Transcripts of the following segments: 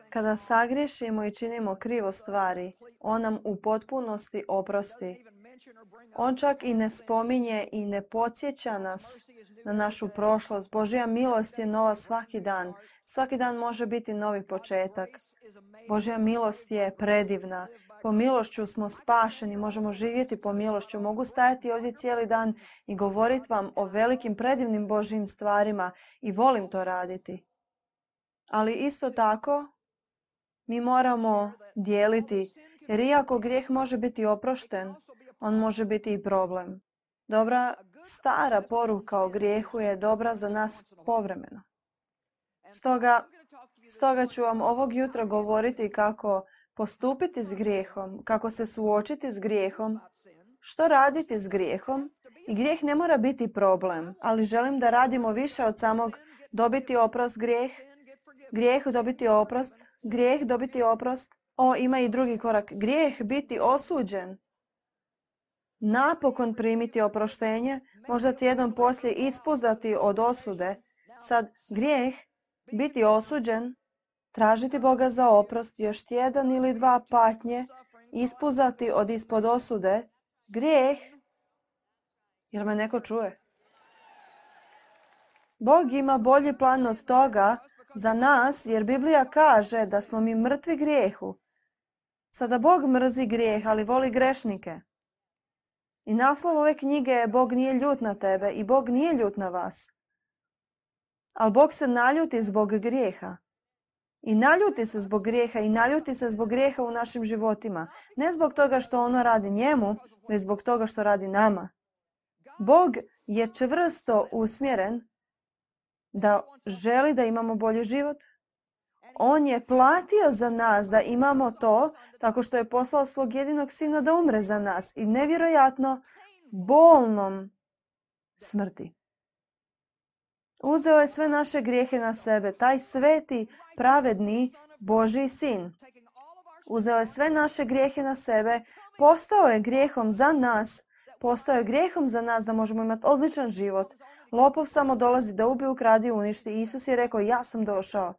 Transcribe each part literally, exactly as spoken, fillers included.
Kada sagriješimo i činimo krivo stvari, on nam u potpunosti oprosti. On čak i ne spominje i ne podsjeća nas na našu prošlost. Božja milost je nova svaki dan. Svaki dan može biti novi početak. Božja milost je predivna. Po milošću smo spašeni, možemo živjeti po milošću. Mogu stajati ovdje cijeli dan i govoriti vam o velikim predivnim Božjim stvarima i volim to raditi. Ali isto tako mi moramo dijeliti, jer iako grijeh može biti oprošten, on može biti i problem. Dobra stara poruka o grijehu je dobra za nas povremeno. Stoga, stoga ću vam ovog jutra govoriti kako postupiti s grijehom, kako se suočiti s grijehom, što raditi s grijehom. I grijeh ne mora biti problem, ali želim da radimo više od samog dobiti oprost grijeh, grijeh dobiti oprost, grijeh dobiti oprost. O, ima i drugi korak. Grijeh biti osuđen. Napokon primiti oproštenje, možda tjednom poslije ispuzati od osude. Sad, grijeh biti osuđen, tražiti Boga za oprost, još tjedan ili dva patnje, ispuzati od ispod osude. Grijeh, jer me neko čuje. Bog ima bolji plan od toga za nas, jer Biblija kaže da smo mi mrtvi grijehu. Sada Bog mrzi grijeh, ali voli grešnike. I naslov ove knjige je Bog nije ljut na tebe i Bog nije ljut na vas. Ali Bog se naljuti zbog grijeha. I naljuti se zbog grijeha i naljuti se zbog grijeha u našim životima. Ne zbog toga što ono radi njemu, već zbog toga što radi nama. Bog je čvrsto usmjeren da želi da imamo bolji život. On je platio za nas da imamo to tako što je poslao svog jedinog sina da umre za nas i nevjerojatno bolnom smrti. Uzeo je sve naše grijehe na sebe, taj sveti, pravedni Božji sin. Uzeo je sve naše grijehe na sebe, postao je grijehom za nas, postao je grijehom za nas da možemo imati odličan život. Lopov samo dolazi da ubije, ukradi i uništi. Isus je rekao, ja sam došao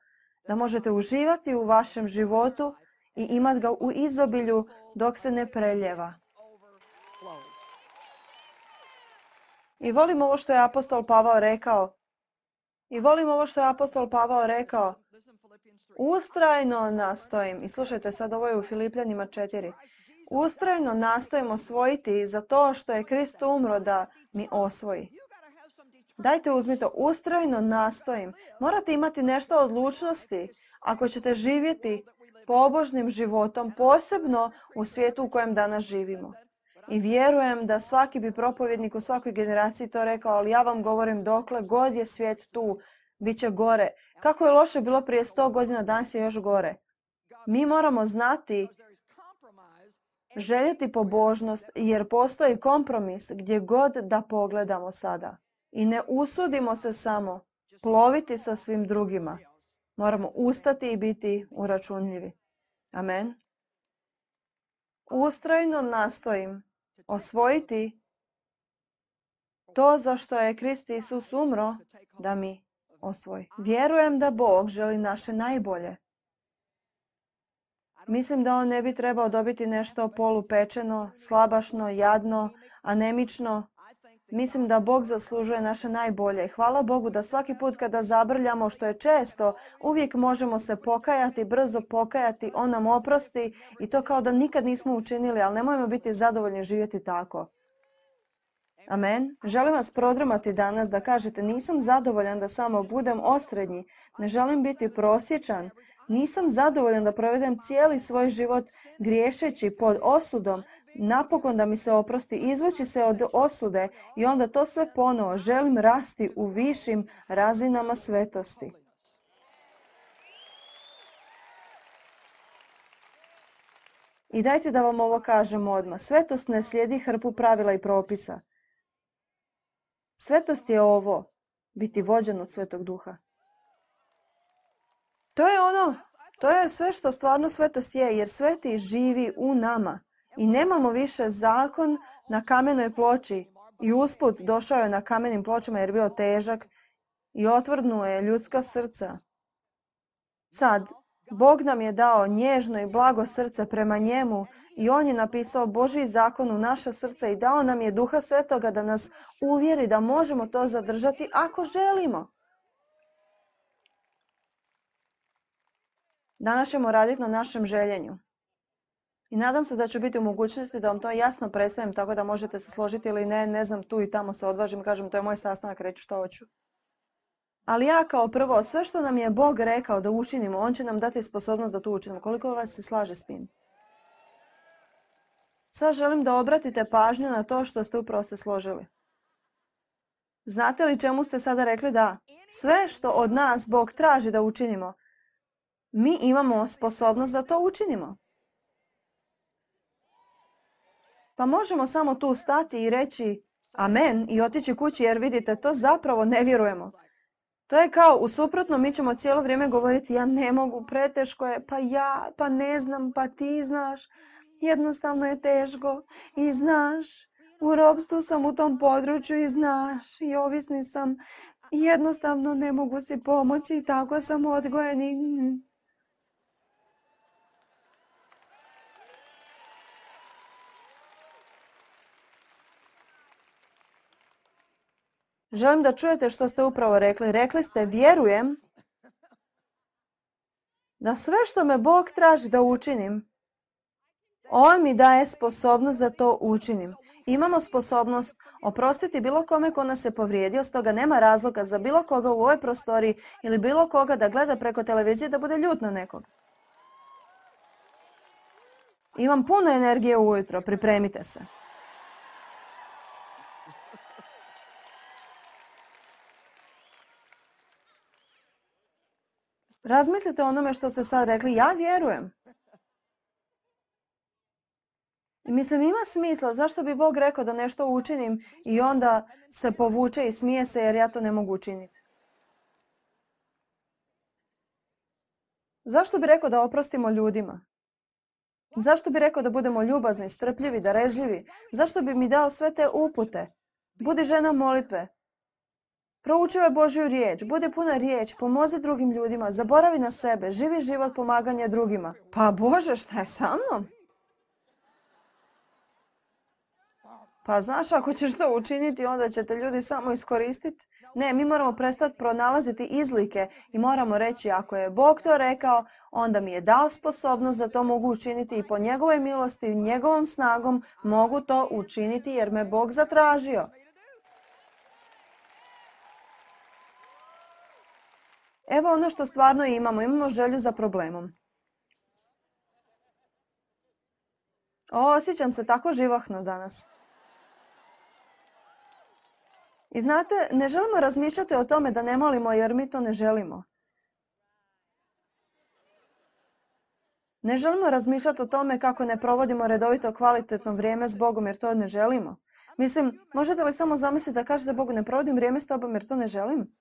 da možete uživati u vašem životu i imati ga u izobilju dok se ne preljeva. I volim ovo što je apostol Pavao rekao. I volim ovo što je apostol Pavao rekao. Ustrajno nastojim, i slušajte sad, ovo je u Filipljanima četiri. Ustrajno nastojim osvojiti za to što je Krist umro da mi osvoji. Dajte uzmite, ustrajno nastojim. Morate imati nešto odlučnosti ako ćete živjeti pobožnim životom, posebno u svijetu u kojem danas živimo. I vjerujem da svaki bi propovjednik u svakoj generaciji to rekao, ali ja vam govorim dokle god je svijet tu, bit će gore. Kako je loše bilo prije sto godina, danas je još gore. Mi moramo znati, željeti pobožnost, jer postoji kompromis gdje god da pogledamo sada. I ne usudimo se samo ploviti sa svim drugima. Moramo ustati i biti uračunljivi. Amen. Ustrajno nastojim osvojiti to za što je Krist Isus umro da mi osvoji. Vjerujem da Bog želi naše najbolje. Mislim da on ne bi trebao dobiti nešto polupečeno, slabašno, jadno, anemično. Mislim da Bog zaslužuje naše najbolje. Hvala Bogu da svaki put kada zabrljamo, što je često, uvijek možemo se pokajati, brzo pokajati, on nam oprosti i to kao da nikad nismo učinili, ali nemojmo biti zadovoljni živjeti tako. Amen. Želim vas prodrmati danas da kažete nisam zadovoljan da samo budem osrednji, ne želim biti prosječan, nisam zadovoljan da provedem cijeli svoj život griješeći pod osudom, napokon da mi se oprosti, izvući se od osude i onda to sve ponovo. Želim rasti u višim razinama svetosti. I dajte da vam ovo kažem odmah. Svetost ne slijedi hrpu pravila i propisa. Svetost je ovo, biti vođen od Svetog Duha. To je ono, to je sve što stvarno svetost je, jer sveti živi u nama. I nemamo više zakon na kamenoj ploči. I usput došao je na kamenim pločama jer je bio težak i otvrdnuo je ljudska srca. Sad, Bog nam je dao nježno i blago srce prema njemu i on je napisao Božji zakon u naša srca i dao nam je Duha Svetoga da nas uvjeri da možemo to zadržati ako želimo. Danas ćemo raditi na našem željenju. I nadam se da ću biti u mogućnosti da vam to jasno predstavim tako da možete se složiti ili ne, ne znam, tu i tamo se odvažim, kažem to je moj sastanak, reću što hoću. Ali ja kao prvo, sve što nam je Bog rekao da učinimo, on će nam dati sposobnost da to učinimo. Koliko vas se slaže s tim? Sad želim da obratite pažnju na to što ste upravo se složili. Znate li čemu ste sada rekli da? Sve što od nas Bog traži da učinimo, mi imamo sposobnost da to učinimo. Pa možemo samo tu stati i reći amen i otići kući jer vidite, to zapravo ne vjerujemo. To je kao u suprotno, mi ćemo cijelo vrijeme govoriti ja ne mogu, preteško je, pa ja, pa ne znam, pa ti znaš. Jednostavno je teško i znaš, u ropstvu sam u tom području i znaš, i ovisni sam, i jednostavno ne mogu si pomoći i tako sam odgojeni. Želim da čujete što ste upravo rekli. Rekli ste, vjerujem da sve što me Bog traži da učinim, on mi daje sposobnost da to učinim. Imamo sposobnost oprostiti bilo kome ko nas je povrijedio, stoga nema razloga za bilo koga u ovoj prostoriji ili bilo koga da gleda preko televizije da bude ljut na nekog. Imam puno energije ujutro, pripremite se. Razmislite o onome što ste sad rekli. Ja vjerujem. I mislim, ima smisla. Zašto bi Bog rekao da nešto učinim i onda se povuče i smije se jer ja to ne mogu učiniti? Zašto bi rekao da oprostimo ljudima? Zašto bi rekao da budemo ljubazni, strpljivi, darežljivi? Zašto bi mi dao sve te upute? Budi žena molitve. Proučivaj Božju riječ, budi puna riječ, pomozi drugim ljudima, zaboravi na sebe, živi život pomaganja drugima. Pa Bože, šta je sa mnom? Pa znaš, ako ćeš to učiniti, onda će te ljudi samo iskoristiti. Ne, mi moramo prestati pronalaziti izlike i moramo reći, ako je Bog to rekao, onda mi je dao sposobnost da to mogu učiniti i po njegovoj milosti, njegovom snagom mogu to učiniti jer me Bog zatražio. Evo ono što stvarno imamo. Imamo želju za problemom. O, osjećam se tako živahno danas. I znate, ne želimo razmišljati o tome da ne molimo jer mi to ne želimo. Ne želimo razmišljati o tome kako ne provodimo redovito kvalitetno vrijeme s Bogom jer to ne želimo. Mislim, možete li samo zamisliti da kažete Bogu ne provodim vrijeme s tobom jer to ne želim?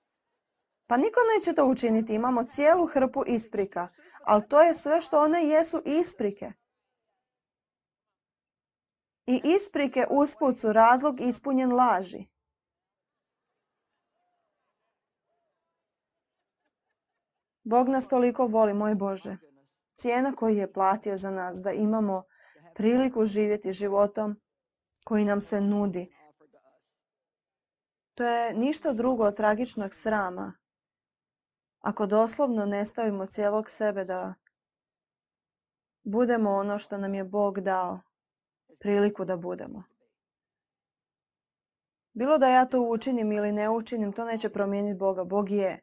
Pa niko neće to učiniti. Imamo cijelu hrpu isprika. Ali to je sve što one jesu isprike. I isprike usput su razlog ispunjen laži. Bog nas toliko voli, moj Bože. Cijena koju je platio za nas da imamo priliku živjeti životom koji nam se nudi. To je ništa drugo od tragičnog srama. Ako doslovno ne stavimo cijelog sebe da budemo ono što nam je Bog dao, priliku da budemo. Bilo da ja to učinim ili ne učinim, to neće promijeniti Boga. Bog je.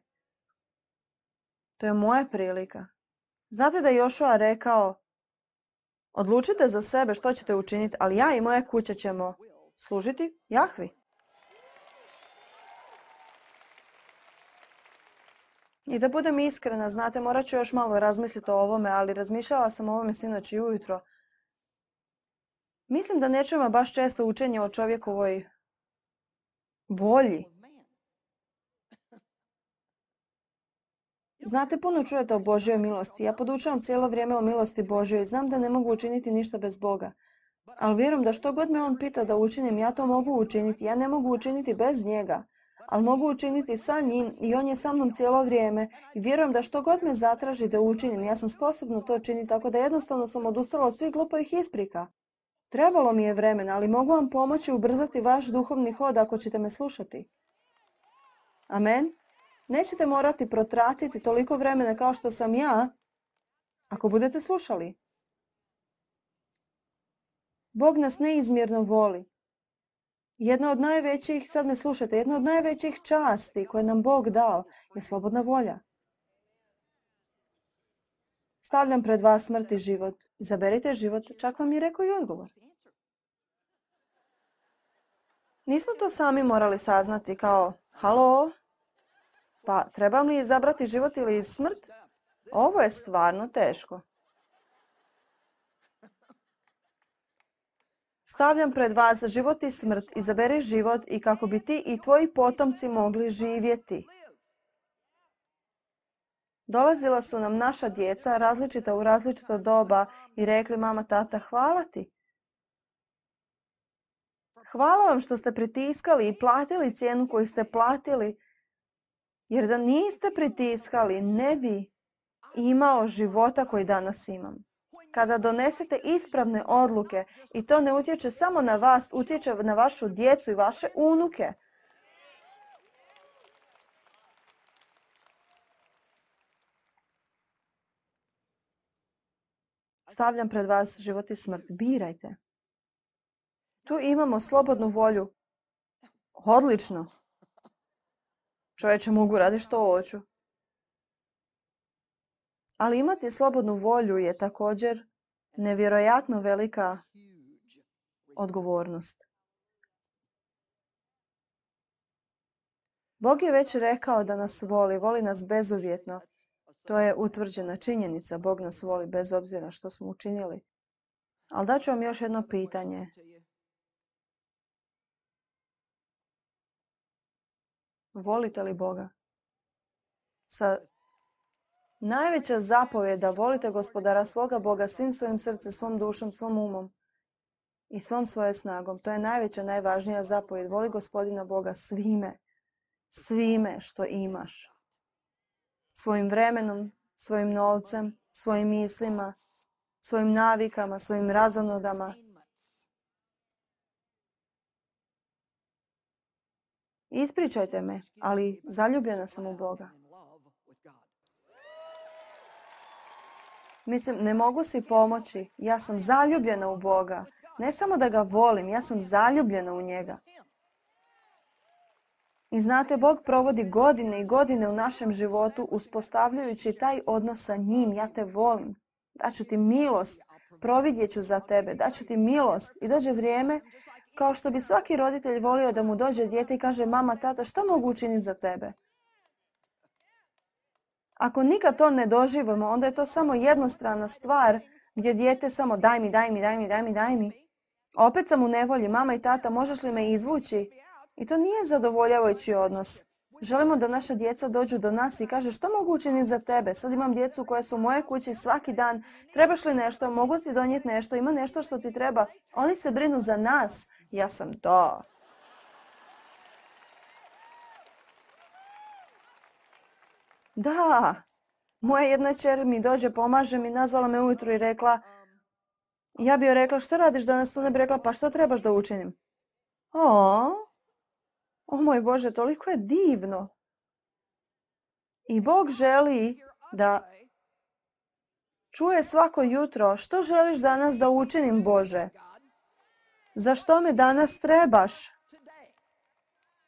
To je moja prilika. Znate da je Jošua rekao, odlučite za sebe što ćete učiniti, ali ja i moja kuća ćemo služiti Jahvi. I da budem iskrena, znate, morat ću još malo razmisliti o ovome, ali razmišljala sam o ovome sinoć i ujutro. Mislim da ne čujemo baš često učenje o čovjekovoj volji. Znate, puno čujete o Božjoj milosti. Ja podučavam cijelo vrijeme o milosti Božjoj i znam da ne mogu učiniti ništa bez Boga. Ali vjerujem da što god me On pita da učinim, ja to mogu učiniti. Ja ne mogu učiniti bez njega. ali mogu učiniti sa njim i on je sa mnom cijelo vrijeme i vjerujem da što god me zatraži da učinim, ja sam sposobna to činiti, tako da jednostavno sam odustala od svih glupovih isprika. Trebalo mi je vremena, ali mogu vam pomoći ubrzati vaš duhovni hod ako ćete me slušati. Amen. Nećete morati protratiti toliko vremena kao što sam ja ako budete slušali. Bog nas neizmjerno voli. Jedna od najvećih, sad me slušajte, jedna od najvećih časti koje nam Bog dao je slobodna volja. Stavljam pred vas smrt i život. Izaberite život, čak vam je rekao i odgovor. Nismo to sami morali saznati kao, halo, pa trebam li izabrati život ili smrt? Ovo je stvarno teško. Stavljam pred vas život i smrt, izaberi život i kako bi ti i tvoji potomci mogli živjeti. Dolazila su nam naša djeca, različita u različito doba i rekli, mama, tata, hvala ti. Hvala vam što ste pritiskali i platili cijenu koju ste platili, jer da niste pritiskali, ne bi imao života koji danas imam. Kada donesete ispravne odluke i to ne utječe samo na vas, utječe na vašu djecu i vaše unuke. Stavljam pred vas život i smrt. Birajte. Tu imamo slobodnu volju. Odlično. Čovječe, mogu raditi što hoću. Ali imati slobodnu volju je također nevjerojatno velika odgovornost. Bog je već rekao da nas voli, voli nas bezuvjetno. To je utvrđena činjenica. Bog nas voli bez obzira što smo učinili. Ali daću vam još jedno pitanje. Volite li Boga? Sa najveća zapovjed da volite Gospodara svoga Boga svim svojim srcem, svom dušom, svom umom i svom svoje snagom. To je najveća, najvažnija zapovjed. Voli Gospodina Boga svime, svime što imaš. Svojim vremenom, svojim novcem, svojim mislima, svojim navikama, svojim razonodama. Ispričajte me, ali zaljubljena sam u Boga. Mislim, ne mogu si pomoći. Ja sam zaljubljena u Boga. Ne samo da ga volim, ja sam zaljubljena u njega. I znate, Bog provodi godine i godine u našem životu uspostavljajući taj odnos sa njim. Ja te volim. Daću ti milost. Providjet ću za tebe. Daću ti milost. I dođe vrijeme kao što bi svaki roditelj volio da mu dođe dijete i kaže, mama, tata, što mogu učiniti za tebe? Ako nikad to ne doživimo, onda je to samo jednostrana stvar gdje dijete samo daj mi, daj mi, daj mi, daj mi, daj mi. Opet sam u nevolji, mama i tata, možeš li me izvući? I to nije zadovoljavajući odnos. Želimo da naša djeca dođu do nas i kaže, što mogu učiniti za tebe? Sad imam djecu koje su u moje kući svaki dan. Trebaš li nešto? Mogu ti donijeti nešto? Ima nešto što ti treba? Oni se brinu za nas. Ja sam to. Da, moja jedna kćer mi dođe, pomaže mi, nazvala me ujutro i rekla, ja bi joj rekla, što radiš danas? Tu ne bi rekla, pa što trebaš da učinim? O, o moj Bože, toliko je divno. I Bog želi da čuje svako jutro, što želiš danas da učinim, Bože? Za što me danas trebaš?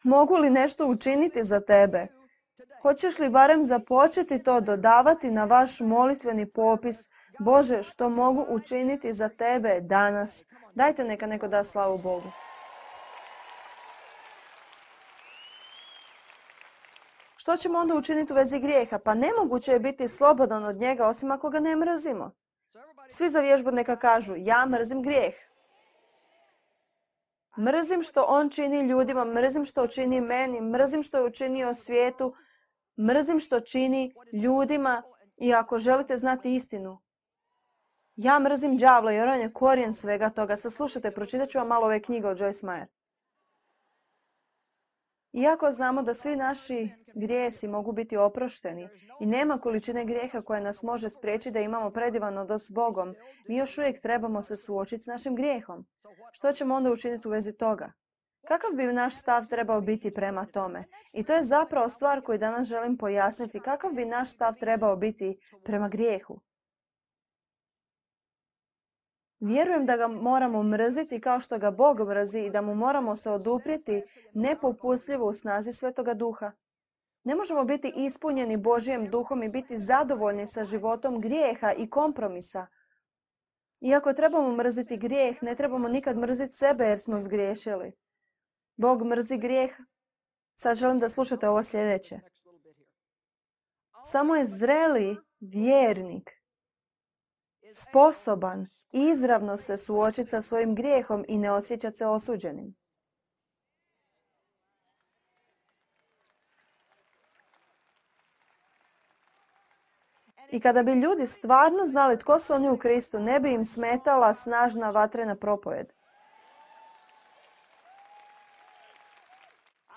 Mogu li nešto učiniti za tebe? Hoćeš li barem započeti to dodavati na vaš molitveni popis? Bože, što mogu učiniti za tebe danas? Dajte neka neko da slavu Bogu. Što ćemo onda učiniti u vezi grijeha? Pa nemoguće je biti slobodan od njega osim ako ga ne mrzimo. Svi za vježbu neka kažu, ja mrzim grijeh. Mrzim što on čini ljudima, mrzim što čini meni, mrzim što je učinio svijetu, mrzim što čini ljudima i ako želite znati istinu. Ja mrzim đavla jer on je korijen svega toga. Saslušajte, pročitat ću vam malo ove knjige od Joyce Meyer. Iako znamo da svi naši grijesi mogu biti oprošteni i nema količine grijeha koja nas može spriječiti da imamo predivan odnos s Bogom, mi još uvijek trebamo se suočiti s našim grijehom. Što ćemo onda učiniti u vezi toga? Kakav bi naš stav trebao biti prema tome? I to je zapravo stvar koju danas želim pojasniti. Kakav bi naš stav trebao biti prema grijehu? Vjerujem da ga moramo mrziti kao što ga Bog mrzi i da mu moramo se oduprijeti nepopustljivo u snazi Svetoga Duha. Ne možemo biti ispunjeni Božjim duhom i biti zadovoljni sa životom grijeha i kompromisa. Iako trebamo mrziti grijeh, ne trebamo nikad mrziti sebe jer smo zgriješili. Bog mrzi grijeh. Sad želim da slušate ovo sljedeće. Samo je zreli vjernik sposoban izravno se suočiti sa svojim grijehom i ne osjećati se osuđenim. I kada bi ljudi stvarno znali tko su oni u Kristu, ne bi im smetala snažna vatrena propovjed.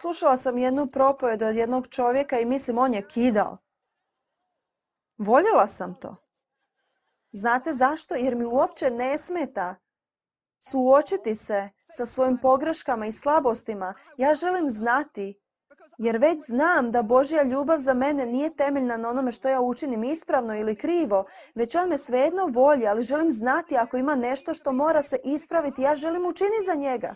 Slušala sam jednu propovjed od jednog čovjeka i mislim on je kidao. Voljela sam to. Znate zašto? Jer mi uopće ne smeta suočiti se sa svojim pogreškama i slabostima. Ja želim znati, jer već znam da Božja ljubav za mene nije temeljna na onome što ja učinim ispravno ili krivo, već on me svejedno voli, ali želim znati ako ima nešto što mora se ispraviti, ja želim učiniti za njega.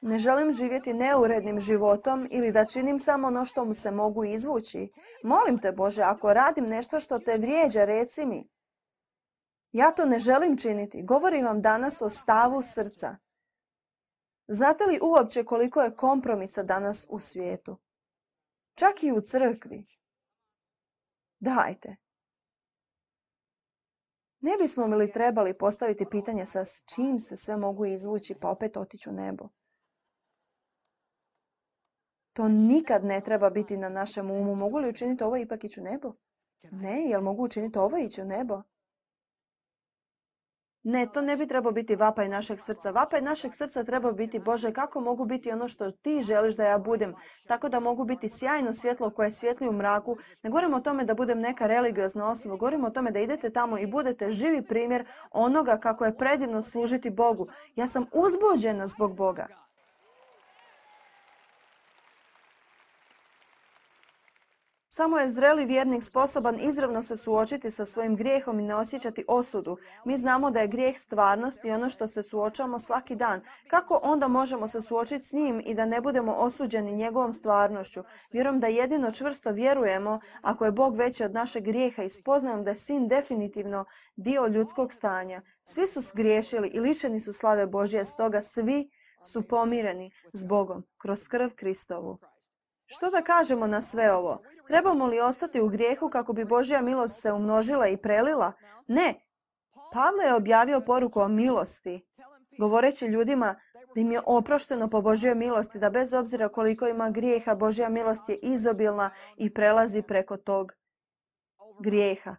Ne želim živjeti neurednim životom ili da činim samo ono što mu se mogu izvući. Molim te, Bože, ako radim nešto što te vrijeđa, reci mi. Ja to ne želim činiti. Govorim vam danas o stavu srca. Znate li uopće koliko je kompromisa danas u svijetu? Čak i u crkvi. Dajte. Ne bismo li trebali postaviti pitanje sa s čim se sve mogu izvući pa opet otići u nebo? To nikad ne treba biti na našem umu. Mogu li učiniti ovo i ipak ići u nebo? Ne, jel mogu učiniti ovo i ići u nebo? Ne, to ne bi trebao biti vapaj našeg srca. Vapaj našeg srca treba biti, Bože, kako mogu biti ono što ti želiš da ja budem, tako da mogu biti sjajno svjetlo koje svijetli u mraku. Ne govorim o tome da budem neka religiozna osoba, govorim o tome da idete tamo i budete živi primjer onoga kako je predivno služiti Bogu. Ja sam uzbuđena zbog Boga. Samo je zreli vjernik sposoban izravno se suočiti sa svojim grijehom i ne osjećati osudu. Mi znamo da je grijeh stvarnost i ono što se suočavamo svaki dan. Kako onda možemo se suočiti s njim i da ne budemo osuđeni njegovom stvarnošću? Vjerujem da jedino čvrsto vjerujemo ako je Bog veći od našeg grijeha i spoznajom da je Sin definitivno dio ljudskog stanja. Svi su zgriješili i lišeni su slave Božje, stoga svi su pomireni s Bogom kroz krv Kristovu. Što da kažemo na sve ovo? Trebamo li ostati u grijehu kako bi Božja milost se umnožila i prelila? Ne. Pavle je objavio poruku o milosti, govoreći ljudima da im je oprošteno po Božjoj milosti, da bez obzira koliko ima grijeha, Božja milost je izobilna i prelazi preko tog grijeha.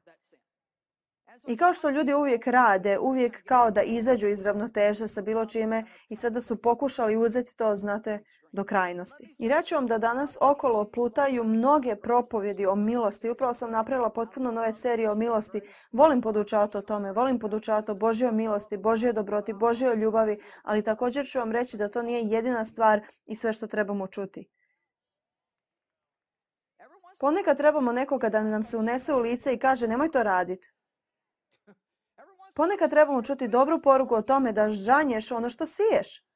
I kao što ljudi uvijek rade, uvijek kao da izađu iz ravnoteže sa bilo čime i sada su pokušali uzeti to, znate, do krajnosti. I reću vam da danas okolo plutaju mnoge propovjedi o milosti. Upravo sam napravila potpuno nove serije o milosti. Volim podučavati o tome, volim podučavati o Božjoj milosti, Božjoj dobroti, Božjoj ljubavi, ali također ću vam reći da to nije jedina stvar i sve što trebamo čuti. Ponekad trebamo nekoga da nam se unese u lice i kaže nemoj to raditi. Ponekad trebamo čuti dobru poruku o tome da žanješ ono što siješ.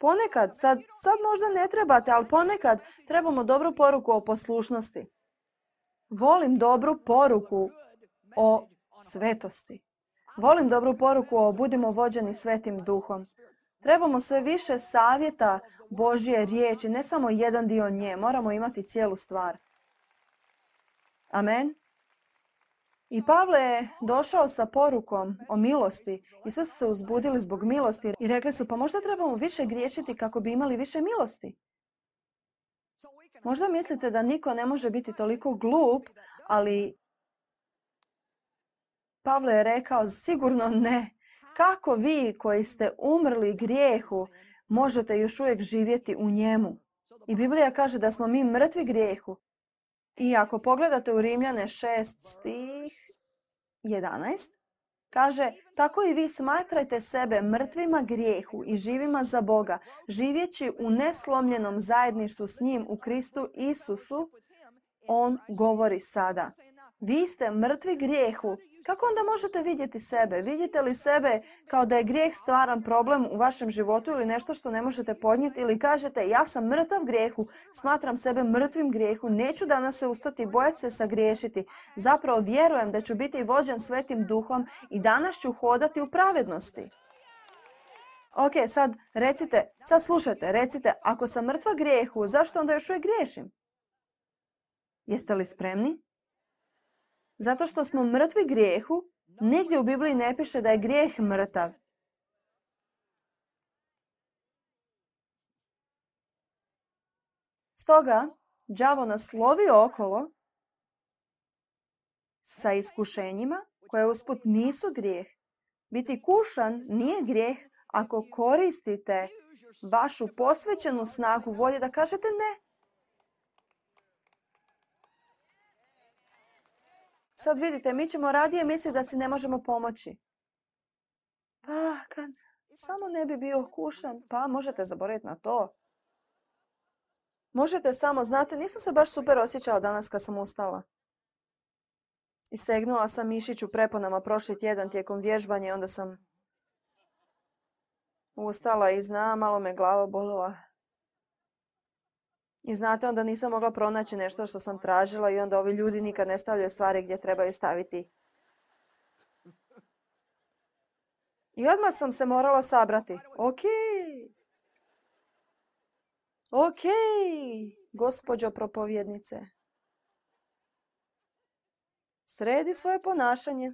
Ponekad, sad, sad možda ne trebate, ali ponekad trebamo dobru poruku o poslušnosti. Volim dobru poruku o svetosti. Volim dobru poruku o budimo vođeni Svetim Duhom. Trebamo sve više savjeta Božje riječi, ne samo jedan dio nje, moramo imati cijelu stvar. Amen. I Pavle je došao sa porukom o milosti i sve su se uzbudili zbog milosti i rekli su pa možda trebamo više griješiti kako bi imali više milosti. Možda mislite da niko ne može biti toliko glup, ali Pavle je rekao sigurno ne. Kako vi koji ste umrli grijehu možete još uvijek živjeti u njemu. I Biblija kaže da smo mi mrtvi grijehu. I ako pogledate u Rimljane šest stih jedanaest, kaže, tako i vi smatrajte sebe mrtvima grijehu i živima za Boga, živjeći u neslomljenom zajedništvu s njim u Kristu Isusu. On govori sada. Vi ste mrtvi grijehu. Kako onda možete vidjeti sebe? Vidite li sebe kao da je grijeh stvaran problem u vašem životu ili nešto što ne možete podnijeti? Ili kažete, ja sam mrtav grijehu, smatram sebe mrtvim grijehu, neću danas se ustati, bojati se sagriješiti. Zapravo vjerujem da ću biti vođen Svetim Duhom i danas ću hodati u pravednosti. Ok, sad recite, sad slušajte, recite, ako sam mrtva grijehu, zašto onda još uvijek griješim? Jeste li spremni? Zato što smo mrtvi grijehu, nigdje u Bibliji ne piše da je grijeh mrtav. Stoga, đavo nas lovi okolo sa iskušenjima koje usput nisu grijeh. Biti kušan nije grijeh ako koristite vašu posvećenu snagu volje da kažete ne. Sad vidite, mi ćemo radije misliti da si ne možemo pomoći. Pa, kad samo ne bi bio kušan, pa možete zaboraviti na to. Možete samo, znate, nisam se baš super osjećala danas kad sam ustala. Istegnula sam mišić u preponama prošli tjedan tijekom vježbanja i onda sam ustala i zna, malo me glava bolila. I znate, onda nisam mogla pronaći nešto što sam tražila i onda ovi ljudi nikad ne stavljaju stvari gdje trebaju staviti. I odmah sam se morala sabrati. Ok. Ok, gospođo propovjednice. Sredi svoje ponašanje.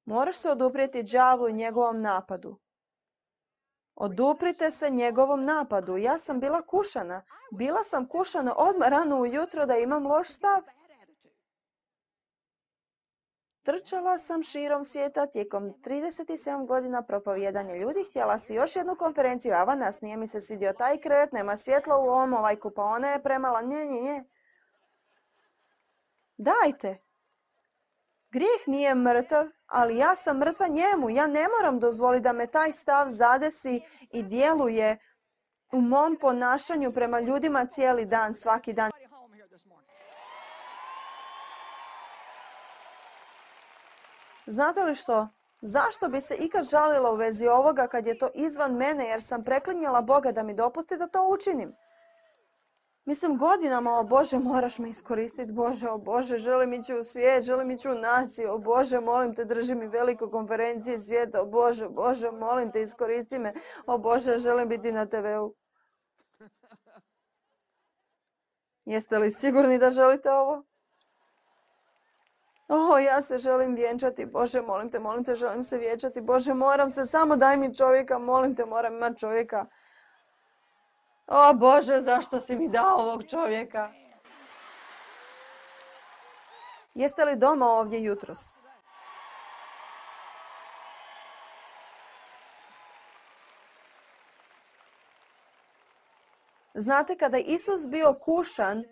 Moraš se oduprijeti đavlu i njegovom napadu. Oduprite se njegovom napadu. Ja sam bila kušana. Bila sam kušana odmah rano ujutro da imam loš stav. Trčala sam širom svijeta tijekom trideset sedam godina propovijedanja ljudi. Htjela si još jednu konferenciju. Avanas, nije mi se svidio taj kret, nema svjetla u ovom, ovaj kupaona je premala. Nje, nje, nje. Dajte. Grijeh nije mrtav, ali ja sam mrtva njemu. Ja ne moram dozvoliti da me taj stav zadesi i djeluje u mom ponašanju prema ljudima cijeli dan, svaki dan. Znate li što? Zašto bi se ikad žalila u vezi ovoga kad je to izvan mene jer sam preklinjala Boga da mi dopusti da to učinim? Mislim, godinama, o Bože, moraš me iskoristiti, Bože, o Bože, želim ići u svijet, želim ići u naciju, o Bože, molim te, drži mi veliku konferenciju svijeta, o Bože, Bože, molim te, iskoristi me, o Bože, želim biti na te veu. Jeste li sigurni da želite ovo? O, ja se želim vjenčati, Bože, molim te, molim te, želim se vjenčati, Bože, moram se, samo daj mi čovjeka, molim te, moram imati čovjeka. O Bože, zašto si mi dao ovog čovjeka? Jeste li doma ovdje jutros? Znate, kada je Isus bio kušan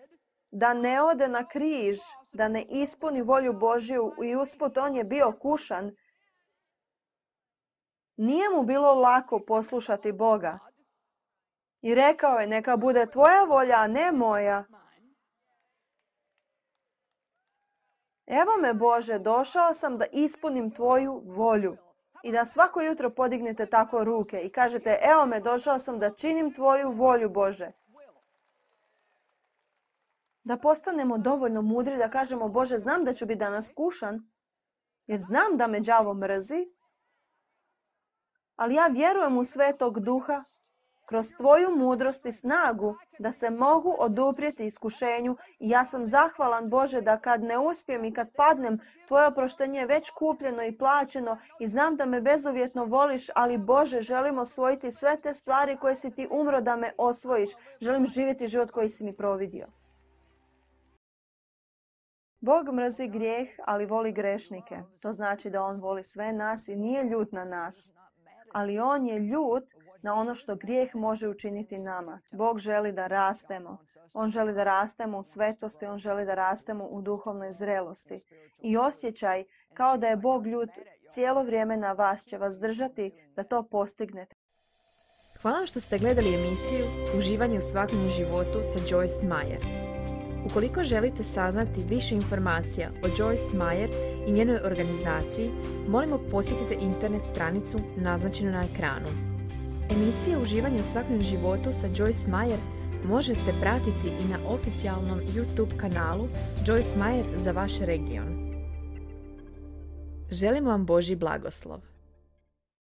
da ne ode na križ, da ne ispuni volju Božju i usput on je bio kušan, nije mu bilo lako poslušati Boga. I rekao je, neka bude tvoja volja, a ne moja. Evo me, Bože, došao sam da ispunim tvoju volju. I da svako jutro podignete tako ruke i kažete, evo me, došao sam da činim tvoju volju, Bože. Da postanemo dovoljno mudri da kažemo, Bože, znam da ću biti danas kušan, jer znam da me đavo mrzi, ali ja vjerujem u Svetog Duha, kroz tvoju mudrost i snagu da se mogu oduprijeti iskušenju i ja sam zahvalan, Bože, da kad ne uspijem i kad padnem, tvoje oproštenje je već kupljeno i plaćeno i znam da me bezuvjetno voliš, ali Bože, želim osvojiti sve te stvari koje si ti umro da me osvojiš. Želim živjeti život koji si mi providio. Bog mrzi grijeh, ali voli grešnike. To znači da on voli sve nas i nije ljut na nas. Ali on je ljut na ono što grijeh može učiniti nama. Bog želi da rastemo. On želi da rastemo u svetosti, On želi da rastemo u duhovnoj zrelosti. I osjećaj kao da je Bog ljut cijelo vrijeme na vas će vas držati da to postignete. Hvala vam što ste gledali emisiju Uživanje u svakodnevnom životu sa Joyce Meyer. Ukoliko želite saznati više informacija o Joyce Meyer i njenoj organizaciji, molimo posjetite internet stranicu naznačenu na ekranu. Emisije Uživanje u svakodnevnom životu sa Joyce Meyer možete pratiti i na oficijalnom YouTube kanalu Joyce Meyer za vaš region. Želimo vam Božji blagoslov.